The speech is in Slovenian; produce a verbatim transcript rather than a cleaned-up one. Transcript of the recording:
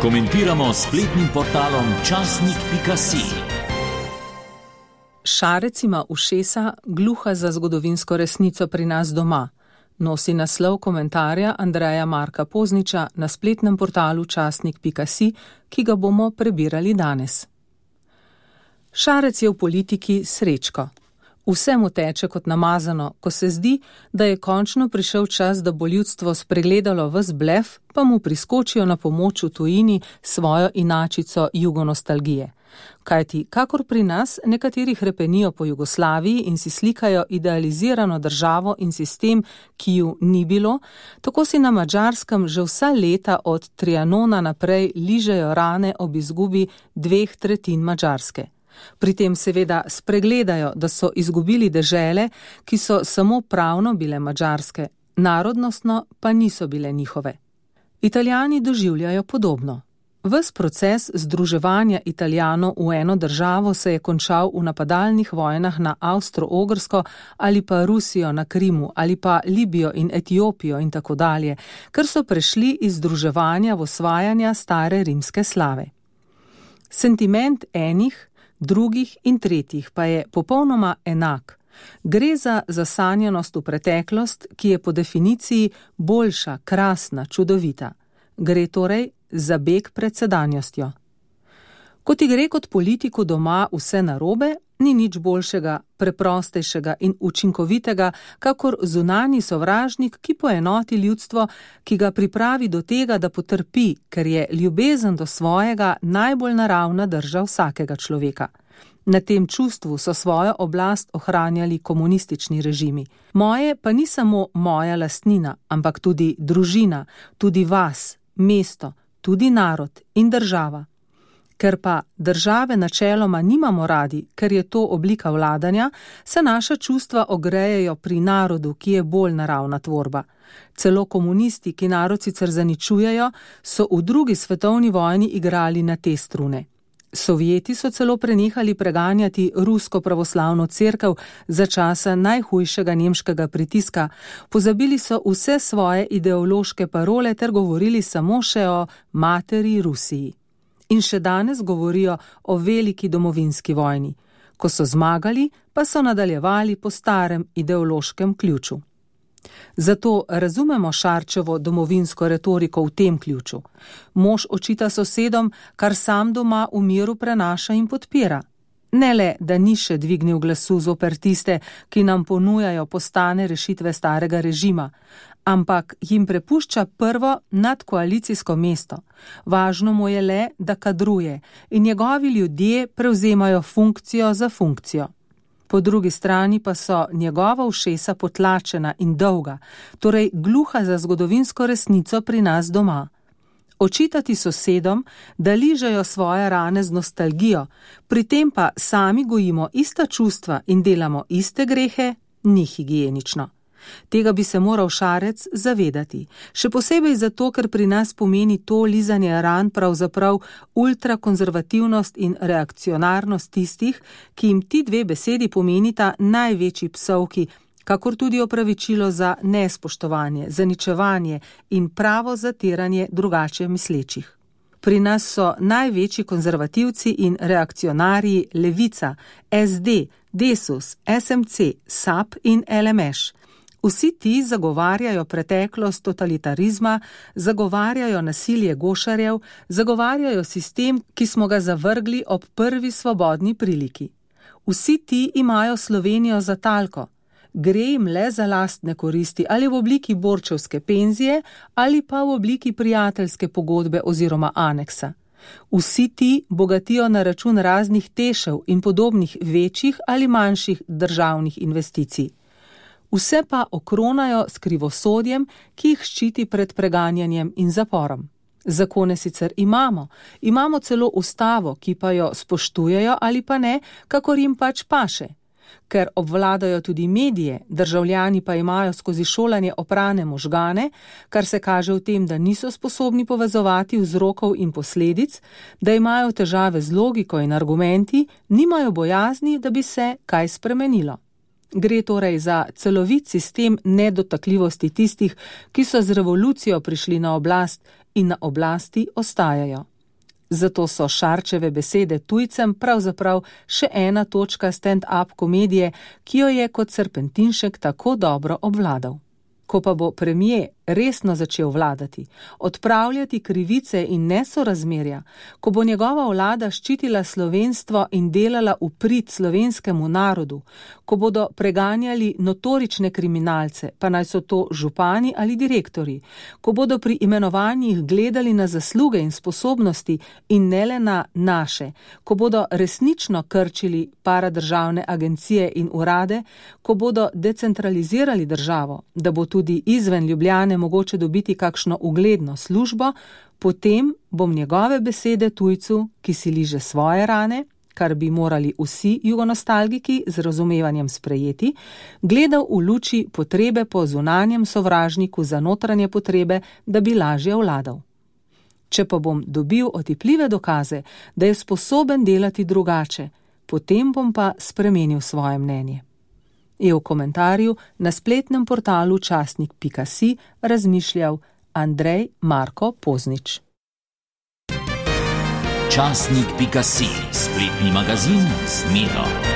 Komentiramo s spletnim portalom časnik pika si. Šarec ima ušesa, gluha za zgodovinsko resnico pri nas doma. Nosi naslov komentarja Andreja Marka Pozniča na spletnem portalu časnik pika si, ki ga bomo prebirali danes. Šarec je v politiki Srečko. Vse mu teče kot namazano, ko se zdi, da je končno prišel čas, da bo ljudstvo spregledalo ves blef, pa mu priskočijo na pomoč v tujini svojo inačico jugonostalgije. Kajti, kakor pri nas, nekateri hrepenijo po Jugoslaviji in si slikajo idealizirano državo in sistem, ki ju ni bilo, tako si na Madžarskem že vsa leta od Trianona naprej ližejo rane ob izgubi dveh tretjin Madžarske. Pri tem seveda spregledajo, da so izgubili dežele, ki so samo pravno bile madžarske, narodnostno pa niso bile njihove. Italijani doživljajo podobno. Ves proces združevanja Italijanov v eno državo se je končal v napadalnih vojnah na Avstro-Ogrsko ali pa Rusijo na Krimu ali pa Libijo in Etiopijo in tako dalje, ker so prešli iz združevanja v osvajanja stare rimske slave. Sentiment enih, drugih in tretjih pa je popolnoma enak. Gre za zasanjanost v preteklost, ki je po definiciji boljša, krasna, čudovita. Gre torej za beg pred sedanjostjo. Ko ti gre kot politiku doma vse narobe, ni nič boljšega, preprostejšega in učinkovitega, kakor zunanji sovražnik, ki poenoti ljudstvo, ki ga pripravi do tega, da potrpi, ker je ljubezen do svojega najbolj naravna drža vsakega človeka. Na tem čustvu so svojo oblast ohranjali komunistični režimi. Moje pa ni samo moja lastnina, ampak tudi družina, tudi vas, mesto, tudi narod in država. Ker pa države načeloma nimamo radi, ker je to oblika vladanja, se naša čustva ogrejejo pri narodu, ki je bolj naravna tvorba. Celo komunisti, ki narod sicer zaničujejo, so v drugi svetovni vojni igrali na te strune. Sovjeti so celo prenehali preganjati rusko pravoslavno cerkev za časa najhujšega nemškega pritiska, pozabili so vse svoje ideološke parole ter govorili samo še o materi Rusiji. In še danes govorijo o veliki domovinski vojni. Ko so zmagali, pa so nadaljevali po starem ideološkem ključu. Zato razumemo Šarčevo domovinsko retoriko v tem ključu. Mož očita sosedom, kar sam doma v miru prenaša in podpira. Ne le, da ni še dvignil glasu zoper tiste, ki nam ponujajo postane rešitve starega režima, ampak jim prepušča prvo nadkoalicijsko mesto. Važno mu je le, da kadruje in njegovi ljudje prevzemajo funkcijo za funkcijo. Po drugi strani pa so njegova ušesa potlačena in dolga, torej gluha za zgodovinsko resnico pri nas doma. Očitati sosedom, da ližejo svoje rane z nostalgijo, pri tem pa sami gojimo ista čustva in delamo iste grehe, ni higienično. Tega bi se moral Šarec zavedati, še posebej zato, ker pri nas pomeni to lizanje ran pravzaprav ultrakonzervativnost in reakcionarnost tistih, ki jim ti dve besedi pomenita največji psovki, kakor tudi opravičilo za nespoštovanje, zaničevanje in pravo zatiranje drugače mislečih. Pri nas so največji konzervativci in reakcionarji Levica, es de, Desus, es em ce, sap in el em eš. Vsi ti zagovarjajo preteklost totalitarizma, zagovarjajo nasilje gošarjev, zagovarjajo sistem, ki smo ga zavrgli ob prvi svobodni priliki. Vsi ti imajo Slovenijo za talko. Gre jim le za lastne koristi ali v obliki borčevske penzije ali pa v obliki prijateljske pogodbe oziroma aneksa. Vsi ti bogatijo na račun raznih tešev in podobnih večjih ali manjših državnih investicij. Vse pa okronajo s krivosodjem, ki jih ščiti pred preganjanjem in zaporom. Zakone sicer imamo, imamo celo ustavo, ki pa jo spoštujejo ali pa ne, kakor jim pač paše. Ker obvladajo tudi medije, državljani pa imajo skozi šolanje oprane možgane, kar se kaže v tem, da niso sposobni povezovati vzrokov in posledic, da imajo težave z logiko in argumenti, nimajo bojazni, da bi se kaj spremenilo. Gre torej za celovit sistem nedotakljivosti tistih, ki so z revolucijo prišli na oblast in na oblasti ostajajo. Zato so Šarčeve besede tujcem pravzaprav še ena točka stand-up komedije, ki jo je kot serpentinšek tako dobro obvladal. Ko pa bo premier resno začel vladati, odpravljati krivice in nesorazmerja, ko bo njegova vlada ščitila slovenstvo in delala v prid slovenskemu narodu, ko bodo preganjali notorične kriminalce, pa naj so to župani ali direktorji, ko bodo pri imenovanjih gledali na zasluge in sposobnosti in ne le na naše, ko bodo resnično krčili paradržavne agencije in urade, ko bodo decentralizirali državo, da bo tudi izven Ljubljane mogoče dobiti kakšno ugledno službo, potem bom njegove besede tujcu, ki si liže svoje rane, kar bi morali vsi jugonostalgiki z razumevanjem sprejeti, gledal v luči potrebe po zunanjem sovražniku za notranje potrebe, da bi lažje vladal. Če pa bom dobil otipljive dokaze, da je sposoben delati drugače, potem bom pa spremenil svoje mnenje. Je v komentarju na spletnem portalu časnik pika si razmišljal Andrej Marko Poznič. časnik pika si, spletni magazin z Miro.